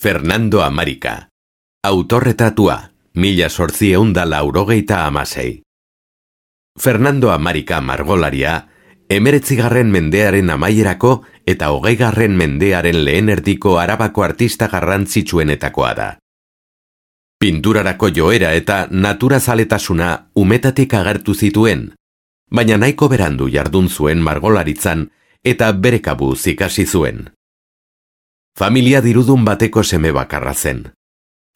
Fernando Amarika. Autorretratua, 1886. Fernando Amarika margolaria, 19. mendearen amaierako eta 20. mendearen lehen erdiko Arabako artista garrantzitsuenetakoa da. Pinturarako joera eta naturazaletasuna umetatik agertu zituen, baina nahiko berandu jardun zuen margolaritzan eta bere kabuz ikasi zuen. Familia dirudun bateko seme bakarra zen.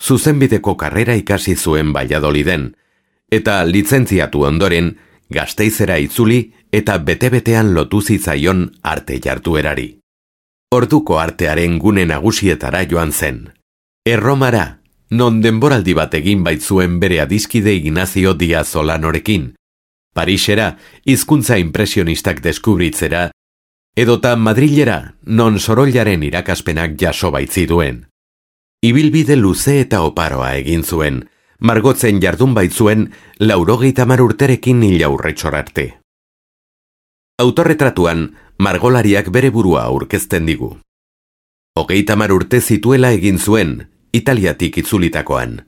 Zuzenbideko karrera ikasi zuen Valladoliden, eta lizentziatu ondoren Gasteizera itzuli eta bete-betean lotu zitzaion arte jarduerari. Orduko artearen gune nagusietara joan zen. Erromara, non denboraldi bat egin baitzuen bere adiskide Ignacio Díaz Solanorekin, Parisera, hizkuntza impresionistak deskubritzera, edota Madrilera, non Sorollaren irakaspenak jaso baitziduen. Ibilbide luze eta oparoa egin zuen, margotzen jardun baitzuen 80 urterekin hil aurretxor arte. Autorretratuan, margolariak bere burua aurkezten digu. 30 urte zituela egin zuen, Italiatik itzulitakoan.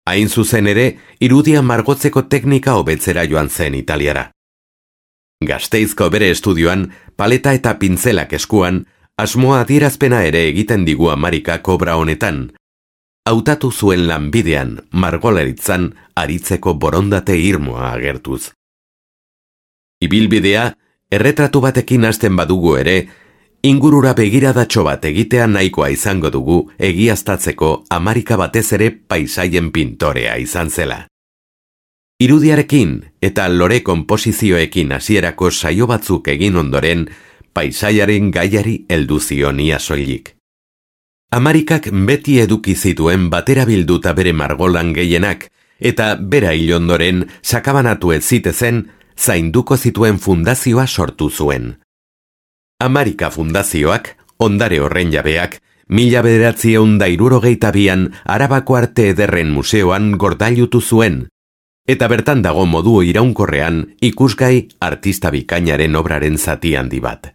Hain zuzen ere, irudia margotzeko teknika hobetzera joan zen Italiara. Gasteizko bere estudioan, paleta eta pintzelak eskuan, asmoa adierazpena ere egiten digu Amarikak obra honetan. Hautatu zuen lanbidean, margolaritzan, aritzeko borondate irmoa agertuz. Ibilbidea, erretratu batekin hasten badugu ere, ingurura begiradatxo bat egitea nahikoa izango dugu egiaztatzeko Amarika batez ere paisaien pintorea izan zela. Irudiarekin eta lore konposizioekin hasierako saio batzuk egin ondoren, paisaiaren gaiari heldu zion ia soilik. Amarikak beti eduki zituen batera bilduta bere margolan gehienak, eta bera hil ondoren sakabanatu ez zitezen, zainduko zituen fundazioa sortu zuen. Amarika fundazioak, ondare horren jabeak, 1962an Arabako Arte Ederren Museoan gordailutu zuen, eta bertan dago modu iraunkorrean ikusgai artista bikainaren obraren zati handi bat.